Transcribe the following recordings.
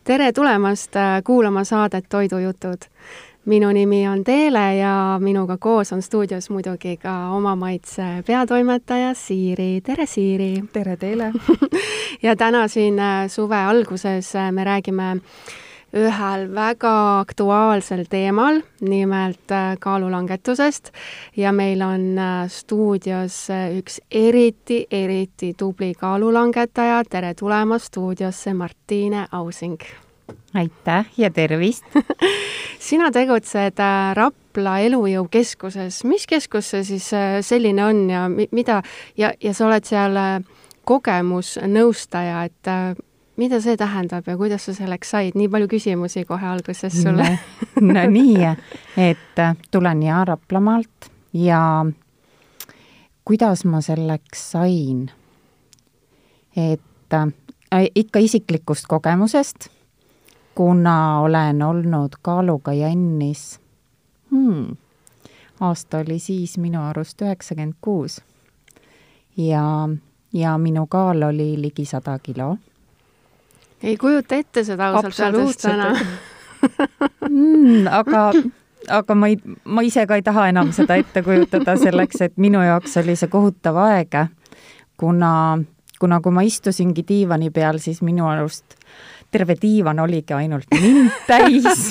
Tere tulemast kuulama saadet Toidujutud. Minu nimi on Teele ja minuga koos on stuudios muidugi ka Oma Maitse peatoimetaja Siiri. Tere, Siiri! Tere, Teele! Ja täna siin suve alguses me räägime ühel väga aktuaalsel teemal, nimelt kaalulangetusest. Ja meil on stuudios üks eriti tubli kaalulangetaja. Tere tulemast stuudiosse, Martine Ausing! Aitäh ja tervist! Sina tegutsed Rapla elujõukeskuses. Mis keskus see siis selline on ja mida? Ja sa oled seal kogemusnõustaja, et mida see tähendab ja kuidas sa selleks said? Nii palju küsimusi kohe alguses sulle. No nii, et tulen Raplamaalt ja kuidas ma selleks sain? Et ikka isiklikust kogemusest, kuna olen olnud kaaluga jännis. Aasta oli siis minu arust 96 ja minu kaal oli ligi 100 kilo. Ei kujuta ette seda ausalt öeldes täna. Aga ma ise ka ei taha enam seda ette kujutada selleks, et minu jaoks oli see kohutav aeg, kuna kui ma istusingi diivani peal, siis minu arust terve diivan oligi ainult mind täis,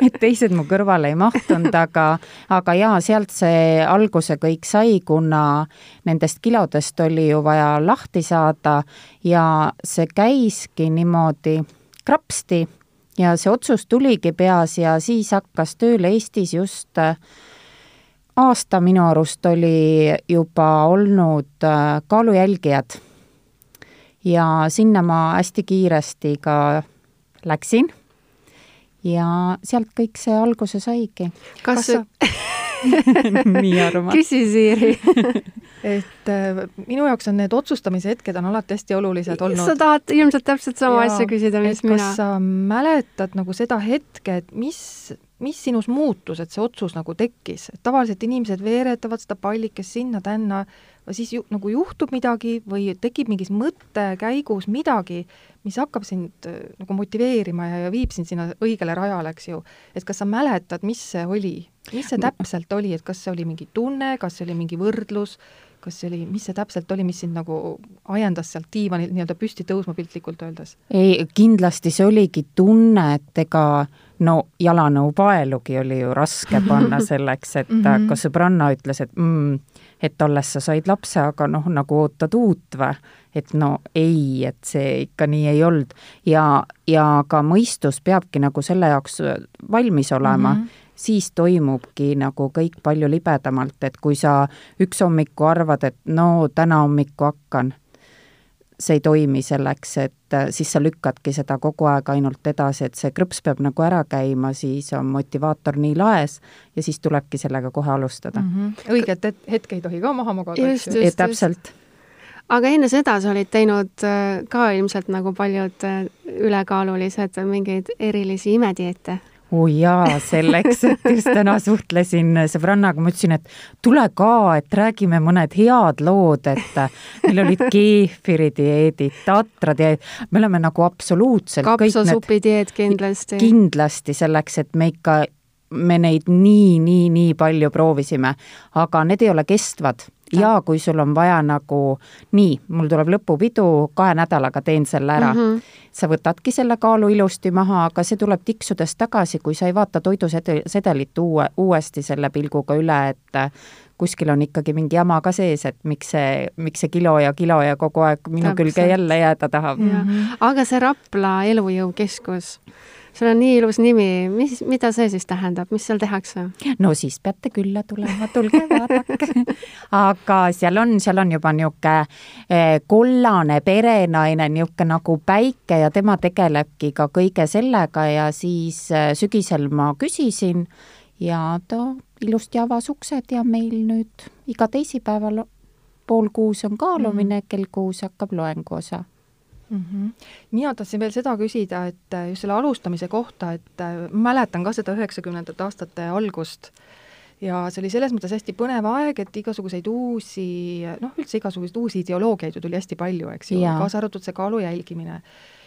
et teised mu kõrvale ei mahtunud, aga jaa, sealt see alguse kõik sai, kuna nendest kilodest oli ju vaja lahti saada ja see käiski niimoodi krapsti ja see otsus tuligi peas ja siis hakkas tööle Eestis just aasta minu arust oli juba olnud kaalujälgijad. Ja sinna ma hästi kiiresti ka läksin ja sealt kõik see alguse saigi. Kas sa... Nii arvad? Küsi, Siiri. Et minu jaoks on need otsustamise hetked on alati hästi olulised olnud. Sa tahad ilmselt täpselt sama asja küsida, mis mina. Kas sa mäletad nagu seda hetke, et mis sinus muutus, et see otsus nagu tekkis? Et tavaliselt inimesed veeretavad seda pallikest sinna tänna, siis nagu juhtub midagi või tekib mingis mõttekäigus midagi, mis hakkab sind nagu motiveerima ja viib sind sinna õigele rajale, eks ju. Et kas sa mäletad, mis see oli? Mis see täpselt oli? Et kas see oli mingi tunne, kas see oli mingi võrdlus, mis see täpselt oli, mis sind nagu ajendas sealt diivanil nii-öelda püsti tõusma piltlikult öeldes? Ei, kindlasti see oligi tunne, et ega jalanõu paelugi oli ju raske panna selleks, et ka sõbranna ütles, et alles sa said lapse, aga nagu ootad uut või? Et ei, et see ikka nii ei olnud. Ja ka mõistus peabki nagu selle jaoks valmis olema. Siis toimubki nagu kõik palju libedamalt, et kui sa üks hommiku arvad, et täna hommiku hakkan, see ei toimi selleks, et siis sa lükkadki seda kogu aeg ainult edasi, et see krõps peab nagu ära käima, siis on motivaator nii laes ja siis tulebki sellega kohe alustada. Õiget hetke ei tohi ka maha magada. Just. Täpselt. Aga enne seda sa olid teinud ka ilmselt nagu paljud ülekaalulised mingeid erilisi imedieete. Jaa, selleks, et just täna suhtlesin sõbrannaga, ma ütlesin, et tule ka, et räägime mõned head lood, et meil olid keefiridieedid, tatrad, me oleme nagu absoluutselt kapsasupidieed kindlasti. Kindlasti selleks, et me neid nii palju proovisime, aga need ei ole kestvad. Ja kui sul on vaja nagu mul tuleb lõpupidu, 2 nädalaga teen selle ära. Sa võtadki selle kaalu ilusti maha, aga see tuleb tiksudes tagasi, kui sa ei vaata toidusedelit uuesti selle pilguga üle, et kuskil on ikkagi mingi jama ka sees, et miks see kilo ja kogu aeg minu külge jälle jääda tahab. Aga see Rapla elujõukeskus, sul on nii ilus nimi, mida see siis tähendab, mis seal tehakse? No siis peate külla tulema, tulge vaadake. Aga seal on juba niuke kollane perenaine, niuke nagu päike ja tema tegelebki ka kõige sellega ja siis sügisel ma küsisin ja ta ilusti avas uksed ja meil nüüd iga teisipäeval 5:30 on kaalumine, kell 6 hakkab loengu osa. Mina tahtsin veel seda küsida, et just selle alustamise kohta, et mäletan ka seda 90. aastate algust ja see oli selles mõttes hästi põnev aeg, et igasuguseid uusi ideoloogiaid ju tuli hästi palju, eks ju, kaasa arvatud see kaalu jälgimine.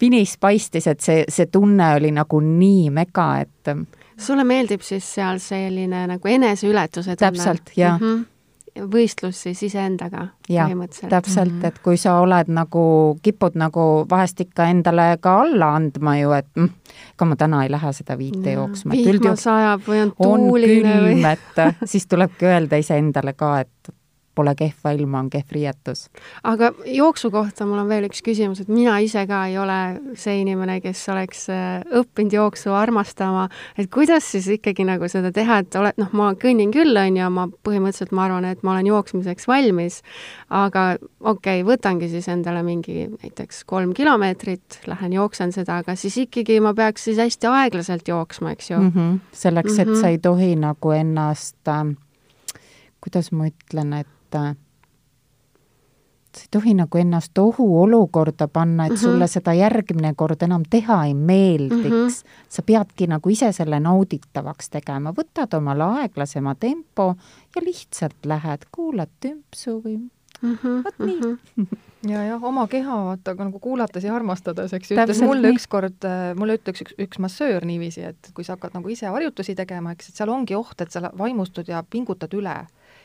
pinis paistis, et see tunne oli nagu nii mega, et sulle meeldib siis seal selline nagu eneseületuse tunne? Täpselt, jah. Võistlus siis iseendaga põhimõtteliselt. Täpselt, et kui sa oled nagu, kipud nagu vahest ikka endale ka alla andma ju, et ka ma täna ei lähe seda 5 jooksma. Vihma sajab või on tuuline on külm, et siis tulebki öelda iseendale ka, et pole kehva ilma, on kehv riietus. Aga jooksu kohta mul on veel üks küsimus, et mina ise ka ei ole see inimene, kes oleks õppinud jooksu armastama, et kuidas siis ikkagi nagu seda teha, et ma kõnnin küll, ja ma põhimõtteliselt ma arvan, et ma olen jooksmiseks valmis, aga võtangi siis endale mingi näiteks 3 kilomeetrit, lähen jooksen seda, aga siis ikkagi ma peaks siis hästi aeglaselt jooksma, eks ju? Selleks, et sa ei tohi nagu ennast, kuidas ma ütlen, et sa ei tohi nagu ennast ohuolukorda panna, et sulle seda järgmine kord enam teha ei meeldiks. Sa peadki nagu ise selle nauditavaks tegema. Võtad omal aeglasema tempo ja lihtsalt lähed, kuulad tümpsu või võt nii. Ja oma keha vaata, aga nagu kuulates ja armastades, eks ütles mulle ütleks üks massöör niiviisi, et kui sa hakkad nagu ise harjutusi tegema, eks, et seal ongi oht, et sa vaimustud ja pingutad üle.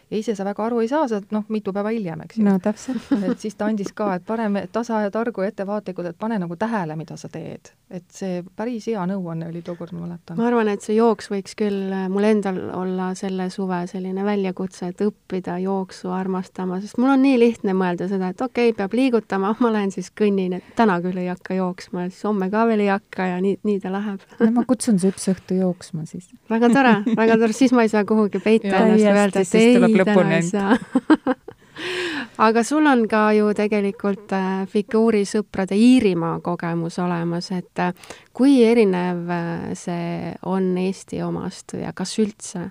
Ja ise sa väga aru ei saa, sa mitu päeva hiljem, eks ju. No täpselt. Et siis ta andis ka, et parem tasa ja targu ja ettevaatlikud, et pane nagu tähele, mida sa teed. Et see päris hea nõuanne oli tookord, ma mäletan. Ma arvan, et see jooks võiks küll mul endal olla selle suve selline väljakutse, et õppida jooksu armastama, sest mul on nii lihtne mõelda seda, et peab liigutama, ma lähen siis kõnnin, et täna küll ei hakka jooksma, siis homme ka veel ei hakka ja nii ta läheb. No ma kutsun see üks õhtu jooksma siis. Väga tore, siis ma ei saa kuhugi peita ennast öelda, et ei, täna ei saa. Aga sul on ka ju tegelikult figuurisõprade Iirimaa kogemus olemas, et kui erinev see on Eesti omast ja kas üldse?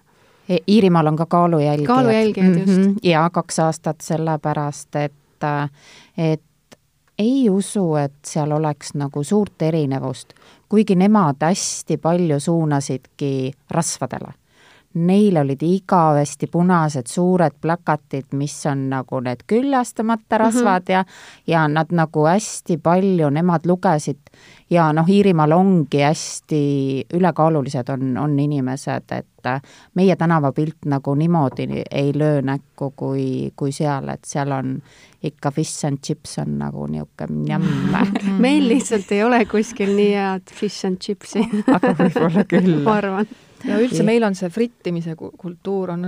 Iirimaal on ka kaalujälgijad. Kaalujälgijad, just. Ja 2 aastat sellepärast, et ei usu, et seal oleks nagu suurt erinevust, kuigi nemad hästi palju suunasidki rasvadele. Neil olid igavesti punased suured plakatid, mis on nagu need küllastamata rasvad ja nad nagu hästi palju, nemad lugesid ja Iirimaal ongi hästi ülekaalulised on inimesed, et meie tänavapilt nagu niimoodi ei löö näkku kui seal, et seal on ikka fish and chips on nagu niuke njämm. Meil lihtsalt ei ole kuskil nii head fish and chipsi. Aga võib-olla küll. Ma arvan. Ja üldse meil on see frittimise kultuur on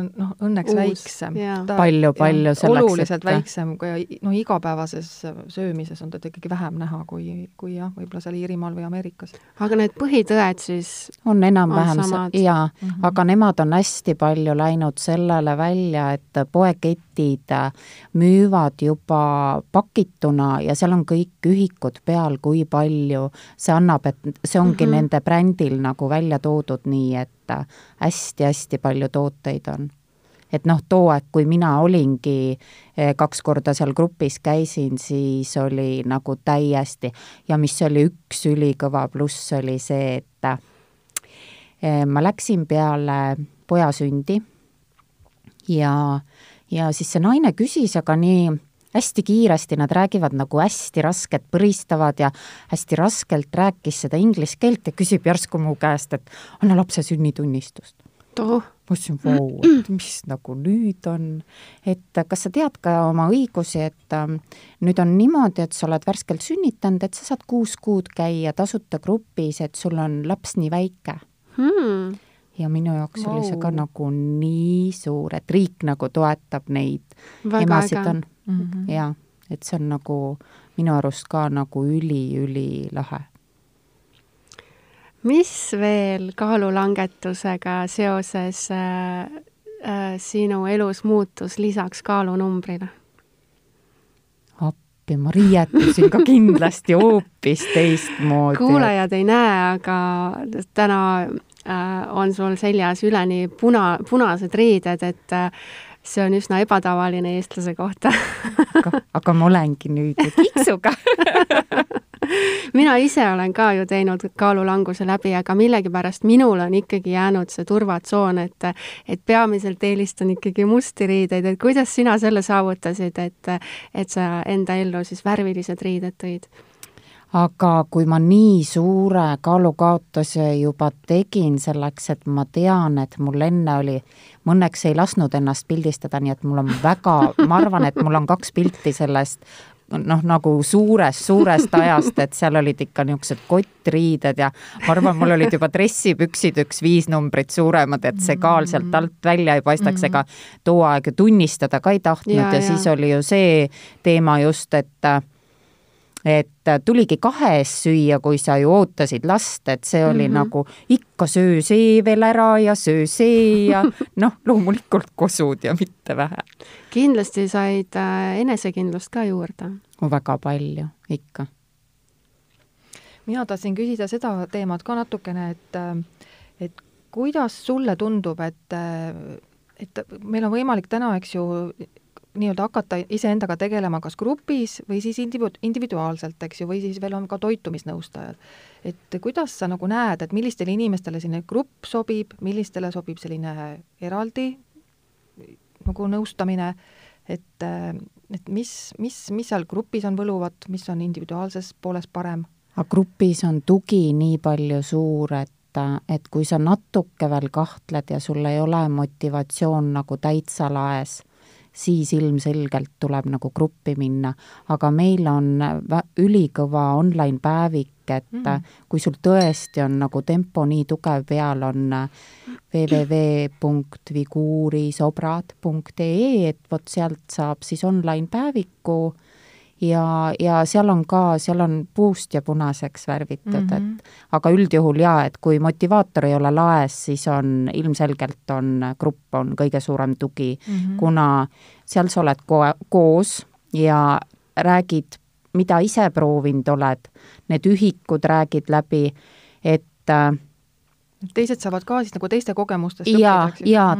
õnneks väiksem. Palju selleks. Oluliselt väiksem, kui igapäevases söömises on ta ikkagi vähem näha kui võib-olla seal Iirimaal või Ameerikas. Aga need põhitõed siis on enam-vähem aga nemad on hästi palju läinud sellele välja, et poeketid müüvad juba pakituna ja seal on kõik ühikud peal, kui palju see annab, et see ongi nende brändil nagu välja toodud nii, et hästi-hästi palju tooteid on. Et too aeg, kui mina olingi 2 korda seal grupis käisin, siis oli nagu täiesti ja mis oli üks ülikõva pluss oli see, et ma läksin peale poja sündi ja siis see naine küsis, aga nii hästi kiiresti, nad räägivad nagu hästi rasket, põristavad ja hästi raskelt rääkis seda inglise keelt ja küsib järsku mu käest, et anna lapse sünnitunnistust. Ma ütlesin, et mis nagu nüüd on, et kas sa tead ka oma õigusi, et nüüd on niimoodi, et sa oled värskelt sünnitanud, et sa saad 6 kuud käia tasuta grupis, et sul on laps nii väike. Ja minu jaoks oli see ka nagu nii suur, et riik nagu toetab neid emasid on. Ja, et see on nagu minu arust ka nagu üli lahe. Mis veel kaalulangetusega seoses sinu elus muutus lisaks kaalunumbrile? Appi, ma riietusin ka kindlasti hoopis teistmoodi. Kuulajad ei näe, aga täna on sul seljas üleni punased riided, et see on üsna ebatavaline eestlase kohta. aga ma olengi nüüd kiksuga. Mina ise olen ka ju teinud kaalulanguse läbi, aga millegipärast minul on ikkagi jäänud see turvatsoon, et peamiselt eelistan ikkagi musti riideid, et kuidas sina selle saavutasid, et sa enda ellu siis värvilised riided tõid? aga kui ma nii suure kaalukaotuse juba tegin selleks, et ma tean, et mul enne oli, ma õnneks ei lasknud ennast pildistada, nii et mul on väga, ma arvan, et mul on 2 pilti sellest nagu suurest ajast, et seal olid ikka niisugused kottriided ja ma arvan, mul olid juba dressipüksid 5 numbrit suuremad, et see kaal sealt alt välja ei paistaks, ega too aeg tunnistada ka ei tahtnud ja siis oli ju see teema just, et tuligi 2 eest süüa, kui sa ju ootasid last, et see oli nagu ikka söö see veel ära ja söö see ja loomulikult kosud ja mitte vähe. Kindlasti said enesekindlust ka juurde. Väga palju, ikka. Mina tahtsin küsida seda teemat ka natukene, et kuidas sulle tundub, et meil on võimalik täna, eks ju, nii-öelda hakata iseendaga tegelema kas grupis või siis individuaalselt, eks ju, või siis veel on ka toitumisnõustajad. Et kuidas sa nagu näed, et millistele inimestele selline grupp sobib, millistele sobib selline eraldi nagu nõustamine, et mis seal grupis on võluvat, mis on individuaalses pooles parem? Grupis on tugi nii palju suur, et kui sa natuke veel kahtled ja sul ei ole motivatsioon nagu täitsa laes, siis ilmselgelt tuleb nagu gruppi minna, aga meil on ülikõva online päevik, et kui sul tõesti on nagu tempo nii tugev peal, on www.vigurisobrad.ee, et vot sealt saab siis online päeviku ja seal on puust ja punaseks värvitud, et aga üldjuhul et kui motivaator ei ole laes, siis on ilmselgelt grupp on kõige suurem tugi, kuna seal sa oled koos ja räägid, mida ise proovinud oled, need ühikud räägid läbi, et teised saavad ka siis nagu teiste kogemustest ja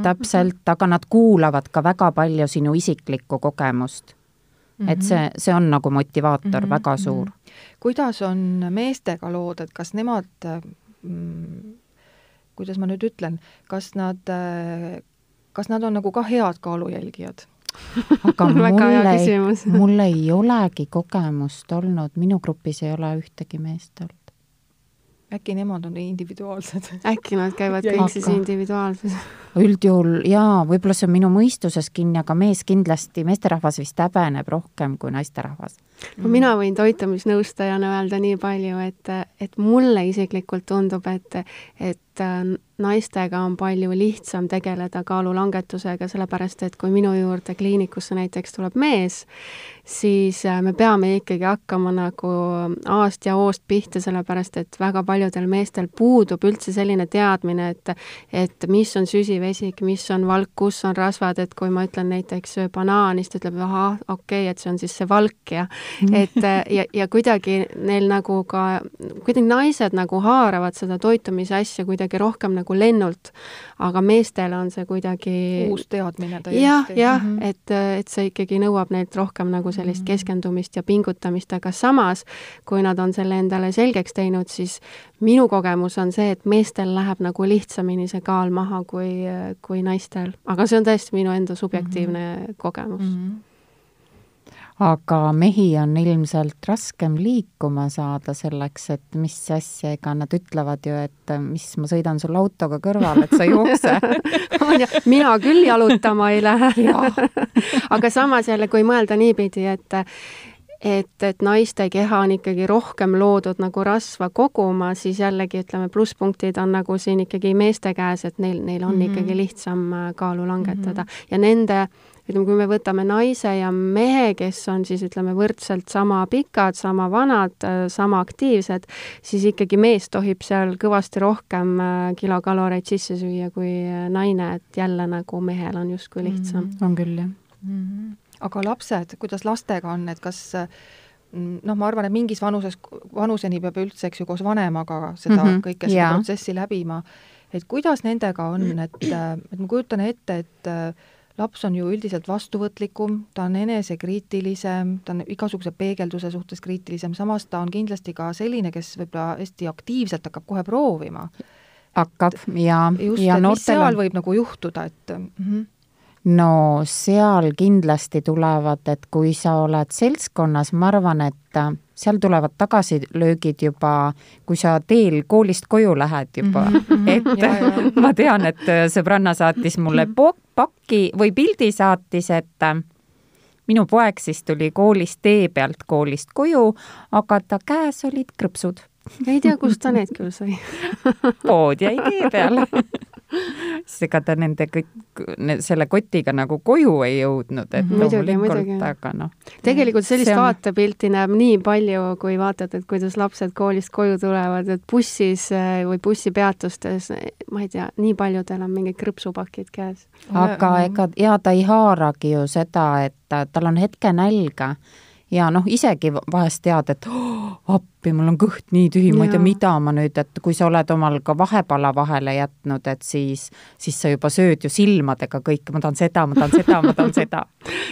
täpselt, aga nad kuulavad ka väga palju sinu isiklikku kogemust. Et see on nagu motivaator väga suur. Kuidas on meestega lood, et kas nemad, kuidas ma nüüd ütlen, kas nad on nagu ka head kaalujälgijad? Aga mul ei olegi kogemust olnud, minu grupis ei ole ühtegi meest olnud. Äkki nemad on individuaalsed? Äkki nad käivad kõik siis individuaalses? Üldjuhul võib-olla see on minu mõistuses kinni, aga meesterahvas vist häbeneb rohkem kui naisterahvas. Mina võin toitumisnõustajana öelda nii palju, et mulle isiklikult tundub, et naistega on palju lihtsam tegeleda kaalulangetusega, sellepärast et kui minu juurde kliinikusse näiteks tuleb mees, siis me peame ikkagi hakkama nagu aast ja oost pihta, sellepärast et väga paljudel meestel puudub üldse selline teadmine, et mis on süsivesik, mis on valk, kus on rasvad, et kui ma ütlen näiteks banaanist, ütleb, okei, et see on siis see valk ja kuidagi neil nagu ka, kuidagi naised nagu haaravad seda toitumise asja kuidagi rohkem nagu lennult, aga meestel on see kuidagi uus teadmine täiesti. Et see ikkagi nõuab neilt rohkem nagu sellist keskendumist ja pingutamist, aga samas, kui nad on selle endale selgeks teinud, siis minu kogemus on see, et meestel läheb nagu lihtsamini see kaal maha kui naistel. Aga see on tõesti minu enda subjektiivne kogemus. Aga mehi on ilmselt raskem liikuma saada selleks, et mis asja, ega nad ütlevad ju, et mis ma sõidan sul autoga kõrval, et sa jookse. Mina küll jalutama ei lähe. Aga samas jälle, kui mõelda niipidi, et naiste keha on ikkagi rohkem loodud nagu rasva koguma, siis jällegi ütleme, plusspunktid on nagu siin ikkagi meeste käes, et neil on ikkagi lihtsam kaalu langetada. Ja nende, ütleme, kui me võtame naise ja mehe, kes on siis, ütleme, võrdselt sama pikad, sama vanad, sama aktiivsed, siis ikkagi mees tohib seal kõvasti rohkem kilokaloreid sisse süüa kui naine, et jälle nagu mehel on justkui lihtsam. On küll, jah. Aga lapsed, kuidas lastega on, et kas, ma arvan, et mingis vanuseni peab üldse, eks ju, koos vanemaga seda kõike seda protsessi läbima, et kuidas nendega on, et ma kujutan ette, et laps on ju üldiselt vastuvõtlikum, ta on enesekriitilisem, ta on igasuguse peegelduse suhtes kriitilisem, samas ta on kindlasti ka selline, kes võib-olla hästi aktiivselt hakkab kohe proovima. Hakkab, ja mis seal võib nagu juhtuda, et... No seal kindlasti tulevad, et kui sa oled seltskonnas, ma arvan, et seal tulevad tagasilöögid juba, kui sa teel koolist koju lähed juba, et ma tean, et sõbranna saatis mulle pakki või pildi saatis, et minu poeg siis tuli koolist tee pealt koolist koju, aga ta käes olid krõpsud. Ei tea, kust ta need küll sai. Pood jäi tee peale. Ega ta nende kõik, selle kotiga nagu koju ei jõudnud, et loomulikult, aga noh. Tegelikult sellist vaatepilti näeb nii palju, kui vaatad, et kuidas lapsed koolist koju tulevad, et bussis või bussipeatustes, ma ei tea, nii paljudel on mingid krõpsupakid käes. Aga ta ei haaragi ju seda, et tal on hetke nälga ja noh, isegi vahest tead, et appi, mul on kõht nii tühi, ma ei tea, mida ma nüüd, et kui sa oled omal ka vahepala vahele jätnud, et siis sa juba sööd ju silmadega kõik, ma tahan seda.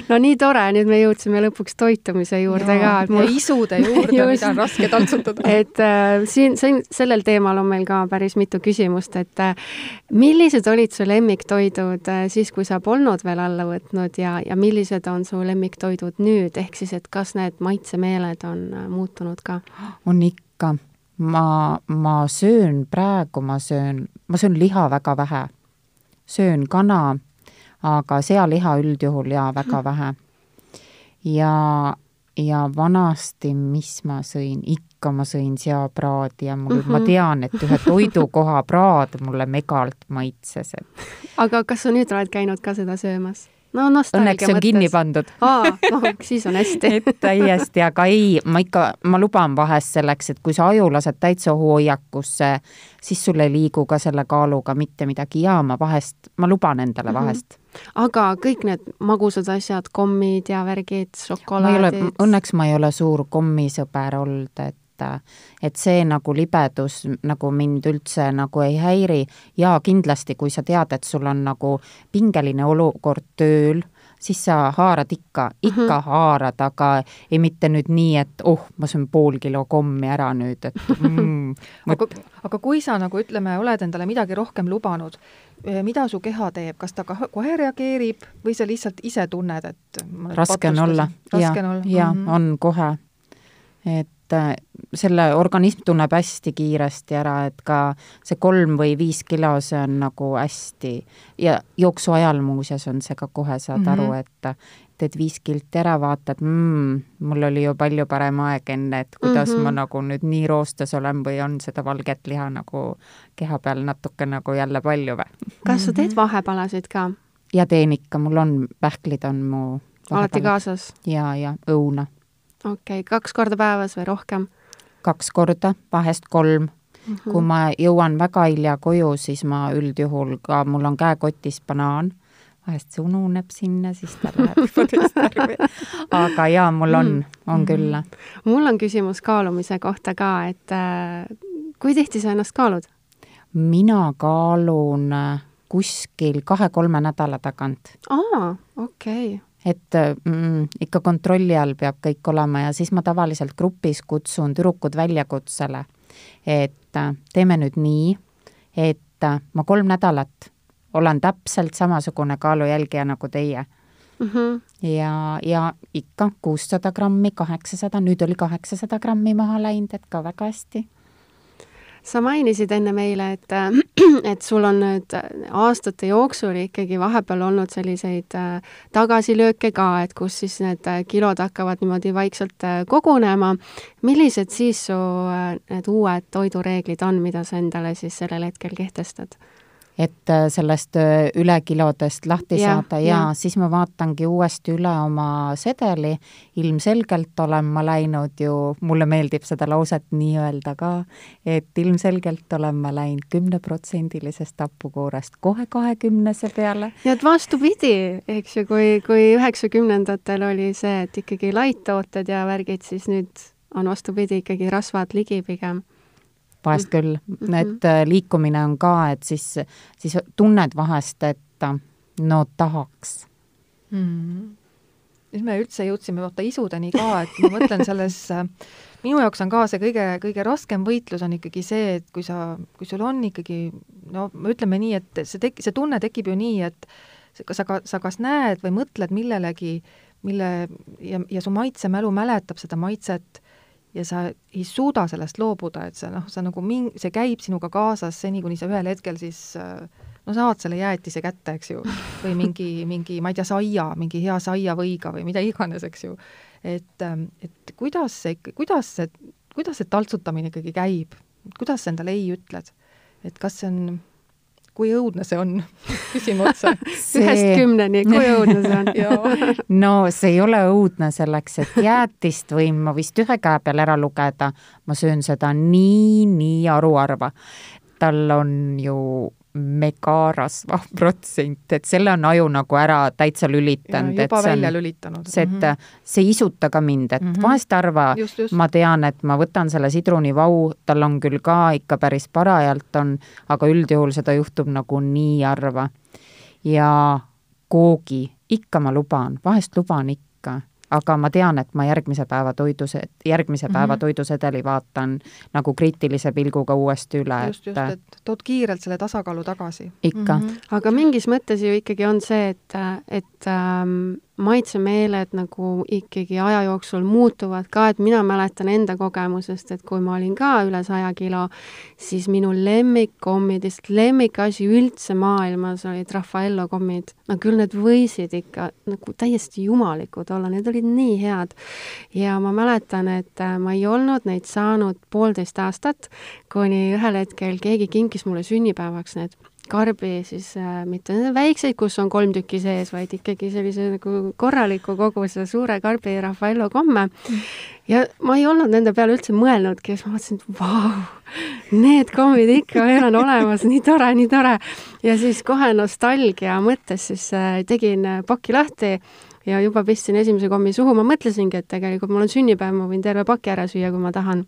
No nii tore, nüüd me jõudsime lõpuks toitumise juurde ka. Ja isude juurde, mida on raske tantsutada. Et siin sellel teemal on meil ka päris mitu küsimust, et millised olid su lemmiktoidud siis, kui sa polnud veel alla võtnud ja millised on su lemmiktoidud nüüd, ehk siis, et kas need maitsemeeled on muutunud ka? On ikka. Ma söön praegu, ma söön liha väga vähe. Söön kana, aga sealiha üldjuhul ja väga vähe. Ja vanasti, mis ma sõin? Ikka ma sõin seapraadi ja ma tean, et ühe toidukoha praad mulle megalt maitses. Aga kas sa nüüd oled käinud ka seda söömas? No, õnneks on kinni pandud. Siis on hästi. Täiesti, aga ei, ma luban vahest selleks, et kui sa aju lased täitsa hoiakusse, siis sul ei liigu ka selle kaaluga mitte midagi ja ma luban endale vahest. Aga kõik need magusad asjad, kommid ja värgid, šokolaadid? Õnneks ma ei ole suur kommisõber olnud, et see nagu libedus nagu mind üldse nagu ei häiri ja kindlasti, kui sa tead, et sul on nagu pingeline olukord tööl, siis sa haarad ikka haarad, aga ei mitte nüüd nii, et ma söön pool kilo kommi ära nüüd, et aga kui sa nagu ütleme, oled endale midagi rohkem lubanud, mida su keha teeb, kas ta kohe reageerib või sa lihtsalt ise tunned, et raske on olla, on kohe, et selle organism tunneb hästi kiiresti ära, et ka see 3 või 5 kilo, see on nagu hästi ja jooksu ajal muuseas on see ka kohe saad aru, et teed 5 kilti ära, vaatad, mul oli ju palju parem aeg enne, et kuidas ma nagu nüüd nii roostes olen või on seda valget liha nagu keha peal natuke nagu jälle palju või. Kas sa teed vahepalasid ka? Ja teen ikka, mul on pähklid on mu alati kaasas? Ja õuna. Okei, 2 korda päevas või rohkem? 2 korda, vahest 3. Kui ma jõuan väga hilja koju, siis ma üldjuhul ka, mul on käekotis banaan, vahest see ununeb sinna, siis ta läheb juba teist arvi. Aga jaa, mul on küll. Mul on küsimus kaalumise kohta ka, et kui tihti sa ennast kaalud? Mina kaalun kuskil 2-3 nädala tagant. Okei. Et ikka kontrolli all peab kõik olema ja siis ma tavaliselt grupis kutsun tüdrukud väljakutsele, et teeme nüüd nii, et ma 3 nädalat olen täpselt samasugune kaalujälgija nagu teie. Ja ikka 600 grammi, 800, nüüd oli 800 grammi maha läinud, et ka väga hästi. Sa mainisid enne meile, et sul on nüüd aastate jooksul ikkagi vahepeal olnud selliseid tagasilööke ka, et kus siis need kilod hakkavad niimoodi vaikselt kogunema. Millised siis su need uued toidureeglid on, mida sa endale siis sellel hetkel kehtestad? Et sellest ülekilodest lahti saada ja siis ma vaatangi uuesti üle oma sedeli. Ilmselgelt olen ma läinud ju, mulle meeldib seda lauset nii öelda ka, et ilmselgelt olen ma läinud 10%-lisest tapukoorest kohe 20 peale. Ja et vastupidi, eks ju, kui 90-ndatel oli see, et ikkagi laittooted ja värgid, siis nüüd on vastupidi ikkagi rasvad ligi pigem. Vahest küll, et liikumine on ka, et siis tunned vahest, et no tahaks. Siis me üldse jõudsime isudeni ka, et ma mõtlen selles, minu jaoks on ka see kõige raskem võitlus on ikkagi see, et kui sul on ikkagi, no ütleme nii, et see tunne tekib ju nii, et sa kas näed või mõtled millelegi, ja su maitsemälu mäletab seda maitset ja sa ei suuda sellest loobuda, et sa nagu see käib sinuga kaasas seni, kuni sa ühel hetkel siis saad selle jäätise kätte, eks ju, või mingi, ma ei tea, mingi hea saiavõiga või mida iganes, eks ju. Et kuidas see taltsutamine ikkagi käib? Kuidas sa endale ei ütled? Et kas see on, kui õudne see on? Küsime otsa. 1-10, kui õudne see on? No see ei ole õudne selleks, et jäätist võin ma vist ühe käe peal ära lugeda. Ma söön seda nii aruarva. Tal on ju megarasva protsent, et selle on aju nagu ära täitsa lülitanud. Juba välja lülitanud. See ei isuta ka mind, et vahest arva, just. Ma tean, et ma võtan selle sidrunivau, tal on küll ka ikka päris parajalt on, aga üldjuhul seda juhtub nagu nii harva. Ja koogi, ikka ma luban, vahest luban ikka, aga ma tean, et ma järgmise päeva toidusedeli vaatan nagu kriitilise pilguga uuesti üle. Just, et tood kiirelt selle tasakaalu tagasi. Ikka. Aga mingis mõttes ju ikkagi on see, et maitsemeeled nagu ikkagi aja jooksul muutuvad ka, et mina mäletan enda kogemusest, et kui ma olin ka üle 100 kilo, siis minu lemmikkommidest, lemmikasi üldse maailmas olid Raffaello kommid. No küll need võisid ikka nagu täiesti jumalikud olla, need olid nii head. Ja ma mäletan, et ma ei olnud neid saanud 1,5 aastat, kuni ühel hetkel keegi kinkis mulle sünnipäevaks need karbi, siis mitte väikseid, kus on 3 tükki sees, vaid ikkagi sellise nagu korraliku koguse suure karbi Raffaello komme. Ja ma ei olnud nende peale üldse mõelnudki, siis ma mõtlesin, et vau, need kommid ikka veel on olemas, nii tore. Ja siis kohe nostalgia mõttes siis tegin paki lahti ja juba pistsin esimese kommi suhu. Ma mõtlesingi, et tegelikult mul on sünnipäev, ma võin terve paki ära süüa, kui ma tahan.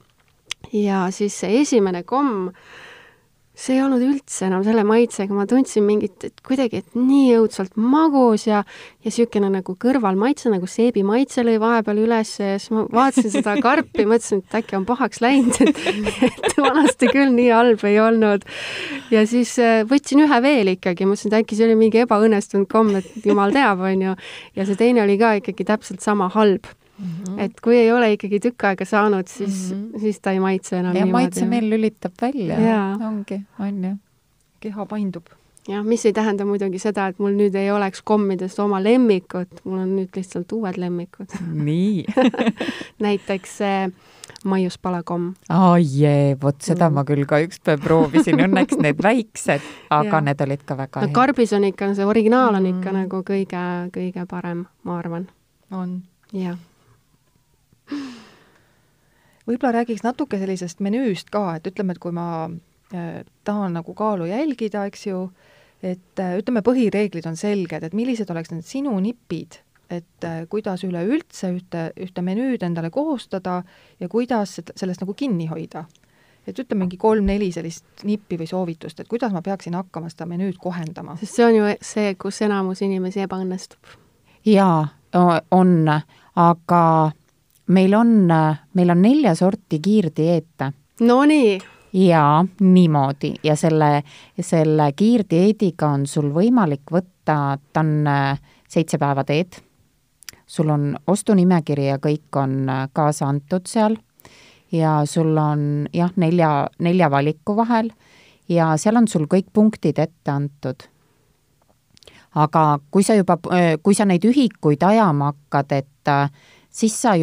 Ja siis see esimene komm, see ei olnud üldse enam selle maitsega, ma tundsin mingit, et kuidagi, et nii õudselt magus ja sükene nagu kõrvalmaitse, nagu seebi maitse lõi vahepeal üles ja siis ma vaatasin seda karpi, mõtlesin, et äkki on pahaks läinud, et vanasti küll nii halb ei olnud. Ja siis võtsin ühe veel ikkagi, mõtlesin, et äkki see oli mingi ebaõnnestunud komm, et jumal teab, on ju. Ja see teine oli ka ikkagi täpselt sama halb. Et kui ei ole ikkagi tükk aega saanud, siis ta ei maitse enam. Ja maitse meil lülitab välja. Ongi, on ju. Keha paindub. Ja mis ei tähenda muidugi seda, et mul nüüd ei oleks kommidest oma lemmikut, mul on nüüd lihtsalt uued lemmikud. Nii. Näiteks maiuspalakomm. Vot seda ma küll ka ükspäev proovisin, õnneks need väiksed, aga need olid ka väga head. Karbis on ikka, see originaal on ikka nagu kõige parem, ma arvan. On. Jah. Võib-olla räägiks natuke sellisest menüüst ka, et ütleme, et kui ma tahan nagu kaalu jälgida, eks ju, et ütleme, põhireeglid on selged, et millised oleks need sinu nipid, et kuidas üleüldse ühte menüüd endale koostada ja kuidas sellest nagu kinni hoida. Et ütleme mingi 3-4 sellist nippi või soovitust, et kuidas ma peaksin hakkama seda menüüd kohendama. Sest see on ju see, kus enamus inimesi ebaõnnestub. Jaa, on, aga meil on 4 sorti kiirdieete. No nii. Jaa, niimoodi. Ja selle kiirdieediga on sul võimalik võtta, ta on 7 päeva teed. Sul on ostunimekiri ja kõik on kaasa antud seal. Ja sul on 4 valiku vahel ja seal on sul kõik punktid ette antud. Aga kui sa neid ühikuid ajama hakkad, et siis sa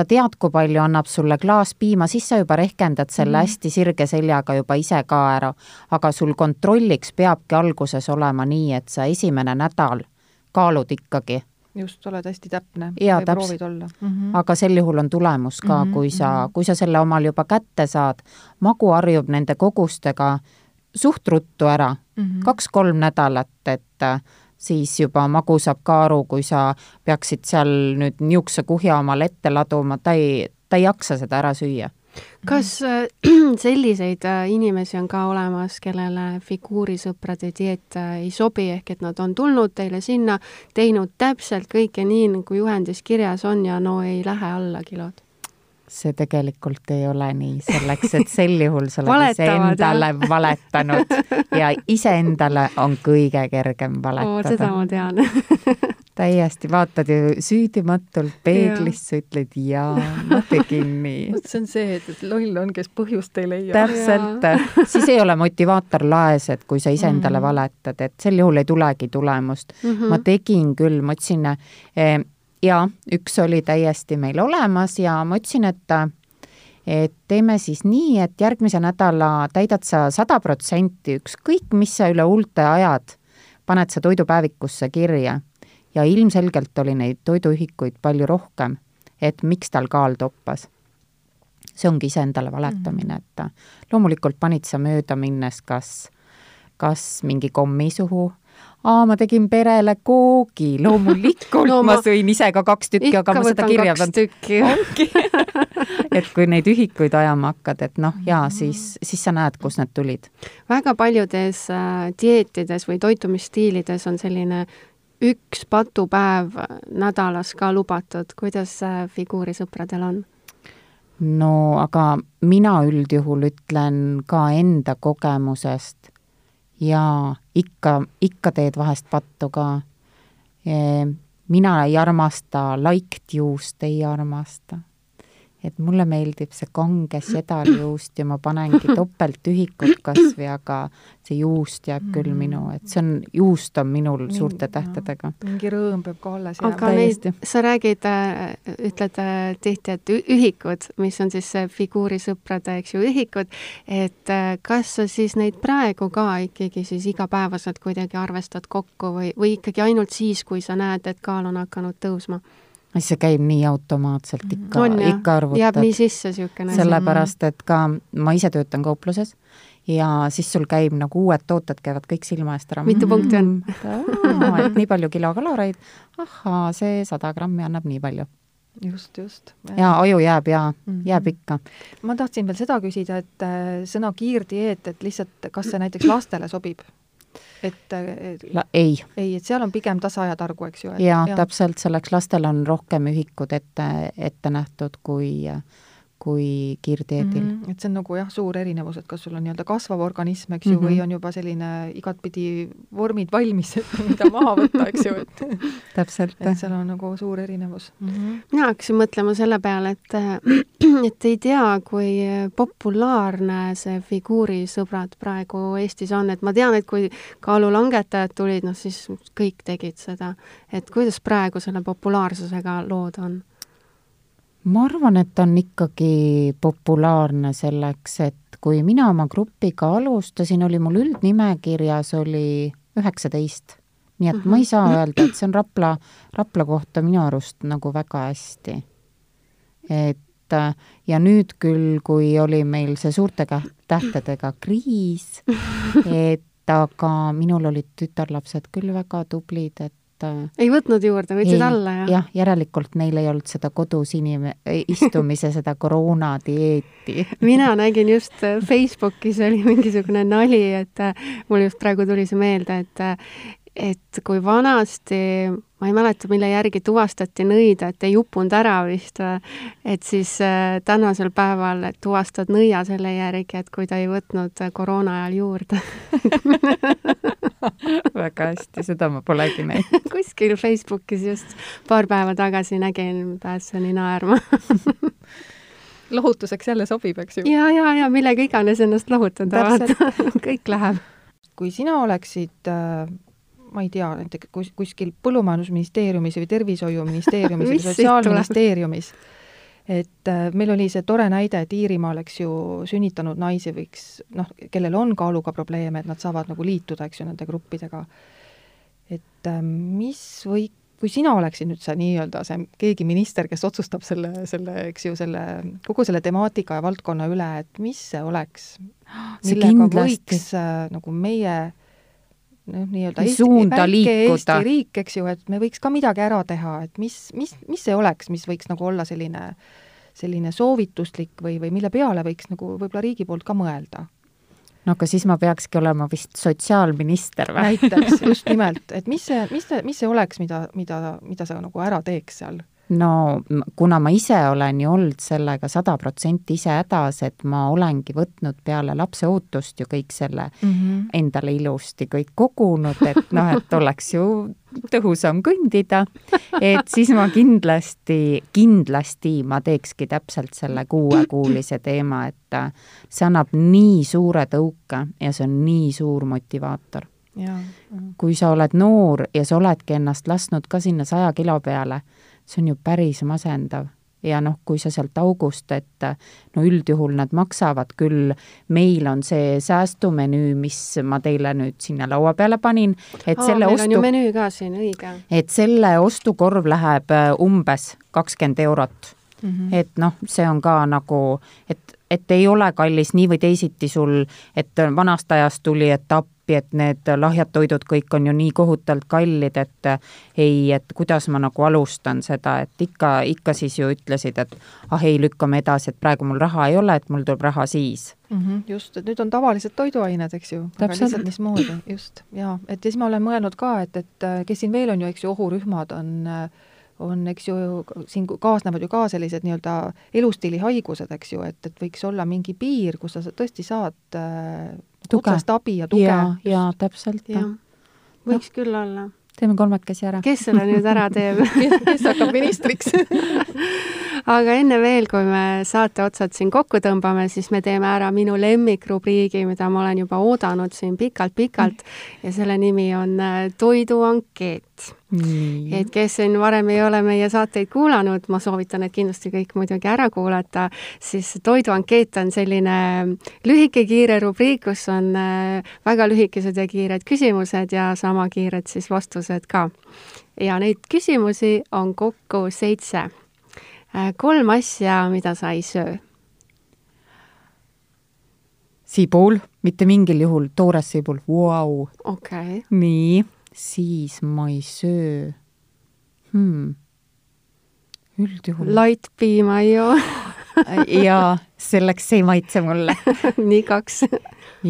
tead, kui palju annab sulle klaas piima, siis sa juba rehkendad selle hästi sirge seljaga juba ise ka ära. Aga sul kontrolliks peabki alguses olema nii, et sa esimene nädal kaalud ikkagi. Just, oled hästi täpne ja või proovid olla. Aga sel juhul on tulemus ka, kui sa selle omal juba kätte saad. Magu harjub nende kogustega suht ruttu ära. 2-3 nädalat, et siis juba magu saab ka aru, kui sa peaksid seal nüüd niukse kuhja omal ette laduma, ta ei jaksa seda ära süüa. Kas selliseid inimesi on ka olemas, kellele figuurisõprade dieet ei sobi, ehk et nad on tulnud teile sinna, teinud täpselt kõike nii, nagu juhendis kirjas on ja no ei lähe alla kilod? see tegelikult ei ole nii, selleks, et sel juhul sa oled Valetavad, iseendale valetanud ja iseendale on kõige kergem valetada. Seda ma tean. Täiesti, vaatad ju süüdimatult peeglisse, ütled jaa, ma tegin nii. See on see, et loll on, kes põhjust ei leia. Täpselt, siis ei ole motivaator laes, et kui sa iseendale valetad, et sel juhul ei tulegi tulemust. Ma tegin küll, ma otsin, ja üks oli täiesti meil olemas ja ma otsin, et teeme siis nii, et järgmise nädala täidad sa 100%, ükskõik, mis sa üle huulte ajad, paned sa toidupäevikusse kirja. Ja ilmselgelt oli neid toiduühikuid palju rohkem, et miks tal kaal toppas. See ongi iseendale valetamine, et loomulikult panid sa mööda minnes kas mingi kommi suhu. Ma tegin perele koogi, loomulikult ma sõin ise ka 2 tükki, aga ma seda kirja et kui neid ühikuid ajama hakkad, et siis sa näed, kus need tulid. Väga paljudes dieetides või toitumisstiilides on selline üks patupäev nädalas ka lubatud. Kuidas figuurisõpradel on? No, aga mina üldjuhul ütlen ka enda kogemusest ja ikka teed vahest pattu ka. Mina ei armasta laikt juust, ei armasta. Et mulle meeldib see kange sedaljuust ja ma panengi topelt ühikut kasvi, aga see juust jääb küll minu, et see on, juust on minul suurte tähtedega. Mingi rõõm peab ka alles jääb. Aga neid, sa räägid, ütled tihti, et ühikud, mis on siis figuurisõprade, eks ju, ühikud, et kas sa siis neid praegu ka ikkagi siis igapäevaselt kuidagi arvestad kokku või ikkagi ainult siis, kui sa näed, et kaal on hakanud tõusma? See käib nii automaatselt, ikka arvutad. Jääb nii sisse siukene. Sellepärast, et ka ma ise töötan kaupluses ja siis sul käib nagu uued tooted, käivad kõik silma eest ära. Mitu punkti on? Et nii palju kilokaloreid, see 100 grammi annab nii palju. Just. Ja aju jääb ikka. Ma tahtsin veel seda küsida, et sõna kiirdieet, et lihtsalt, kas see näiteks lastele sobib? Ei, et seal on pigem tasajatargu, eks ju. Ja täpselt selleks lastel on rohkem ühikud ette nähtud kui kiirdieedil. Et see on nagu suur erinevus, et kas sul on nii-öelda kasvav organism, eks ju, või on juba selline igatpidi vormid valmis, et mida maha võtta, eks ju. Täpselt. Et seal on nagu suur erinevus. Mina hakkasin mõtlema selle peale, et ei tea, kui populaarne see figuurisõbrad praegu Eestis on. Et ma tean, et kui kaalulangetajad tulid, siis kõik tegid seda. Et kuidas praegu selle populaarsusega lood on? Ma arvan, et on ikkagi populaarne selleks, et kui mina oma grupiga alustasin, oli mul üldnimekirjas oli 19. Nii et ma ei saa öelda, et see on Rapla kohta minu arust nagu väga hästi. Ja nüüd küll, kui oli meil see suurte tähtedega kriis, aga minul olid tütarlapsed küll väga tublid, ei võtnud juurde, võtsid alla, jah? Jah, järelikult neil ei olnud seda kodus istumise, seda koroonadieeti. Mina nägin just Facebookis oli mingisugune nali, et mul just praegu tuli see meelde, et kui vanasti, ma ei mäleta, mille järgi tuvastati nõida, et ei upunud ära vist, et siis tänasel päeval tuvastad nõia selle järgi, et kui ta ei võtnud koroona ajal juurde. Väga hästi, seda ma polegi näinud. Kuskil Facebookis just paar päeva tagasi nägin, pääseni naerma. Lohutuseks jälle sobib, eks ju? Ja millega iganes ennast lohutada. Kõik läheb. Kui sina oleksid ma ei tea, kuskil põllumajandusministeeriumis või tervishoiuministeeriumis või sotsiaalministeeriumis. Et meil oli see tore näide, et Iirimaal, eks ju, sünnitanud naisi võiks, kellel on kaaluga probleeme, et nad saavad nagu liituda, eks ju, nende gruppidega. Et kui sina oleksid nüüd see nii-öelda see keegi minister, kes otsustab eks ju, kogu selle temaatika ja valdkonna üle, et mis see oleks, millega võiks nagu meie nii-öelda Eesti riik, eks ju, et me võiks ka midagi ära teha, et mis see oleks, mis võiks nagu olla selline soovituslik või mille peale võiks nagu võib-olla riigi poolt ka mõelda? No aga siis ma peakski olema vist sotsiaalminister või? Näiteks, just nimelt, et mis see oleks, mida sa nagu ära teeks seal? no kuna ma ise olen ju olnud sellega 100% ise hädas, et ma olengi võtnud peale lapse ootust ju kõik selle endale ilusti kõik kogunud, et noh, et oleks ju tõhusam kõndida, et siis ma kindlasti ma teekski täpselt selle 6-kuulise teema, et see annab nii suure tõuke ja see on nii suur motivaator. Ja. Kui sa oled noor ja sa oledki ennast lasknud ka sinna 100 kilo peale, see on ju päris masendav. Ja noh, kui sa sealt august, et no üldjuhul nad maksavad küll, meil on see säästumenüü, mis ma teile nüüd sinna laua peale panin, et selle meil on ju menüü ka siin, õige. Et selle ostukorv läheb umbes 20 eurot. Et noh, see on ka nagu, et ei ole kallis nii või teisiti sul, et vanast ajast tuli, et et need lahjad toidud kõik on ju nii kohutavalt kallid, et ei, et kuidas ma nagu alustan seda, et ikka siis ju ütlesid, et ei, lükkame edasi, et praegu mul raha ei ole, et mul tuleb raha siis. Just, et nüüd on tavalised toiduained, eks ju, aga lihtsalt mismoodi, just, ja et siis ma olen mõelnud ka, et kes siin veel on ju, eks ju, ohurühmad on, eks ju, siin kaasnevad ju ka sellised nii-öelda elustiilihaigused, eks ju, et võiks olla mingi piir, kus sa tõesti saad otsest abi ja tuge. Ja täpselt. Ja. Võiks küll olla. Teeme 3 ära. Kes selle nüüd ära teeb? kes hakkab ministriks? Aga enne veel, kui me saate otsad siin kokku tõmbame, siis me teeme ära minu lemmikrubriigi, mida ma olen juba oodanud siin pikalt ja selle nimi on toiduankeet. Et kes siin varem ei ole meie saateid kuulanud, ma soovitan, et kindlasti kõik muidugi ära kuulata, siis toiduankeet on selline lühike kiire rubriik, kus on väga lühikesed ja kiired küsimused ja sama kiired siis vastused ka. Ja neid küsimusi on kokku 7. 3 asja, mida sa ei söö. Sibul, mitte mingil juhul, toores sibul. Wow. Okay. Nii, siis ma ei söö. Üldjuhul. Light piima ei joo. Ja selleks ei maitse mulle. Nii 2.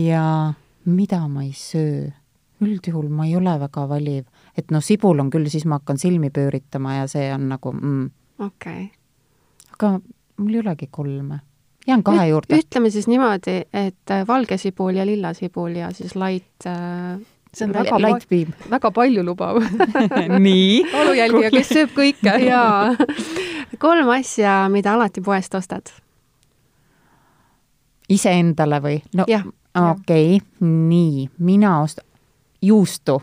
Ja mida ma ei söö? Üldjuhul ma ei ole väga valiv. Et no sibul on küll, siis ma hakkan silmi pööritama ja see on nagu Okay. Aga mul ei olegi 3. Jään 2 juurde. Ütleme siis niimoodi, et valge sibul ja lilla sibul ja siis light... See on väga palju lubav. Nii. Olujälgija, kes sööb kõike. Jaa. 3 asja, mida alati poest ostad. Ise endale või? No, jah. Okei, nii. Mina ostan juustu.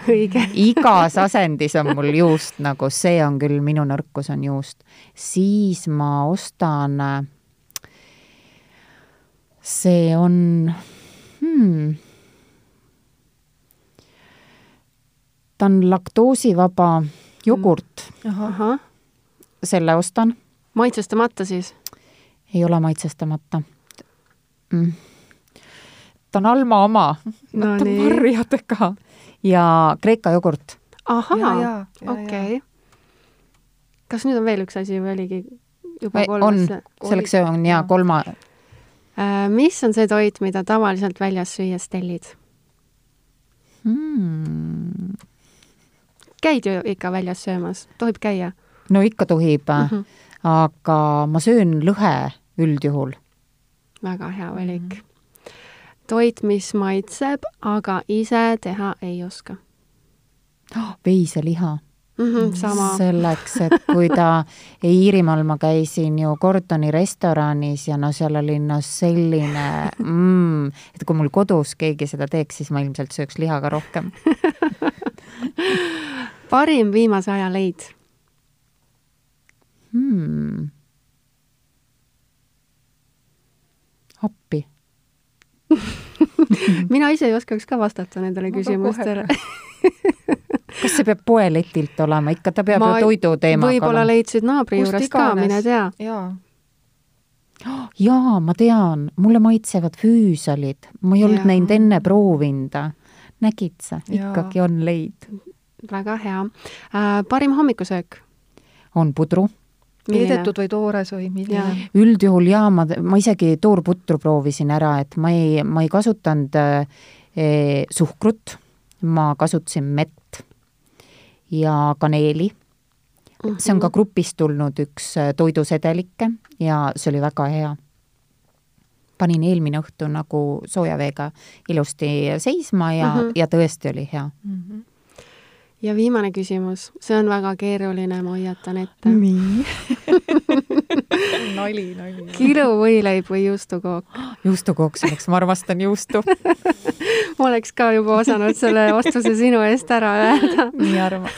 Õige. Igas asendis on mul juust, nagu see on küll, minu nõrkus on juust. Siis ma ostan, see on, ta on laktoosivaba jogurt. Aha. Selle ostan. Maitsestamata siis? Ei ole maitsestamata. Ta on Alma oma. No ta on marjadega. Ja Kreeka jogurt. Ahaa, okei. Kas nüüd on veel üks asi või oligi juba 3? On, selleks see on ja 3. Mis on see toit, mida tavaliselt väljas süües tellid? Käid ju ikka väljas söömas? Tohib käia? No ikka tohib, aga ma söön lõhe üldjuhul. Väga hea valik. Toit, mis maitseb, aga ise teha ei oska. Veiseliha. Sama. Selleks, et kui ta Iirimaal ma käisin ju Gordoni restoranis ja no seal oli no selline, et kui mul kodus keegi seda teeks, siis ma ilmselt sööks liha ka rohkem. Parim viimase aja leid? Appi. Mina ise ei oskaks ka vastata nendele küsimustele. Kas see peab poeletilt olema? Ikka ta peab ju toidu teemaga. Võib-olla leidsid naabri juurest ka, mine tea. Jaa, ma tean. Mulle maitsevad füüsalid. Ma ei olnud näinud enne proovinda. Nägid sa? Ikkagi on leid. Väga hea. Parim hommikusöök? On pudru. Keedetud või toores või milline? Üldjuhul ma isegi toorputru proovisin ära, et ma ei kasutanud suhkrut, ma kasutasin mett ja kaneeli, see on ka grupist tulnud üks toidusedelikke ja see oli väga hea. Panin eelmine õhtu nagu sooja veega ilusti seisma ja tõesti oli hea. Ja viimane küsimus, see on väga keeruline, ma hoiatan ette. Nii. nali. Kiluvõileib või juustukook? Juustukook selleks, ma armastan juustu. Ma oleks ka juba osanud selle vastuse sinu eest ära öelda. Nii arvan.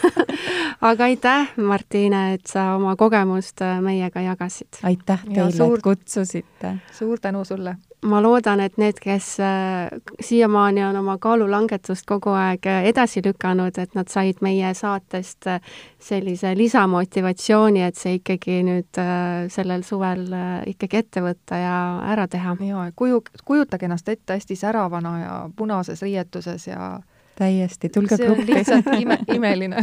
Aga aitäh, Martiine, et sa oma kogemust meiega jagasid. Aitäh teile, et kutsusite. Suur tänu sulle. Ma loodan, et need, kes siiamaani on oma kaalulangetust kogu aeg edasi lükanud, et nad said meie saatest sellise lisamotivatsiooni, et see ikkagi nüüd sellel suvel ikkagi ette võtta ja ära teha. Ja, kujutage ennast ette hästi säravana ja punases riietuses ja täiesti, tulge gruppi. gruppi. See on lihtsalt imeline.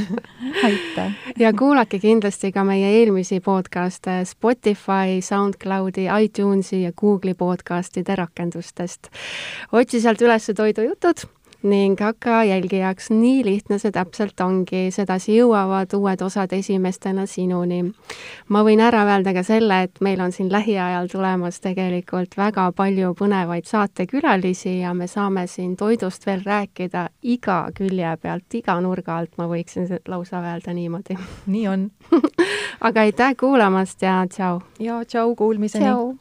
Aitäh. Ja kuulake kindlasti ka meie eelmisi podcaste Spotify, SoundCloudi, iTunesi ja Google'i podcastide rakendustest. Otsi sealt üles toidujutud ning hakka jälgijaks, nii lihtne see täpselt ongi, sedasi jõuavad uued osad esimestena sinuni. Ma võin ära öelda ka selle, et meil on siin lähiajal tulemas tegelikult väga palju põnevaid saatekülalisi ja me saame siin toidust veel rääkida iga külje pealt, iga nurga alt, ma võiksin lausa öelda niimoodi. Nii on. Aga aitäh kuulamast ja tšau! Ja tšau, kuulmiseni! Tšau!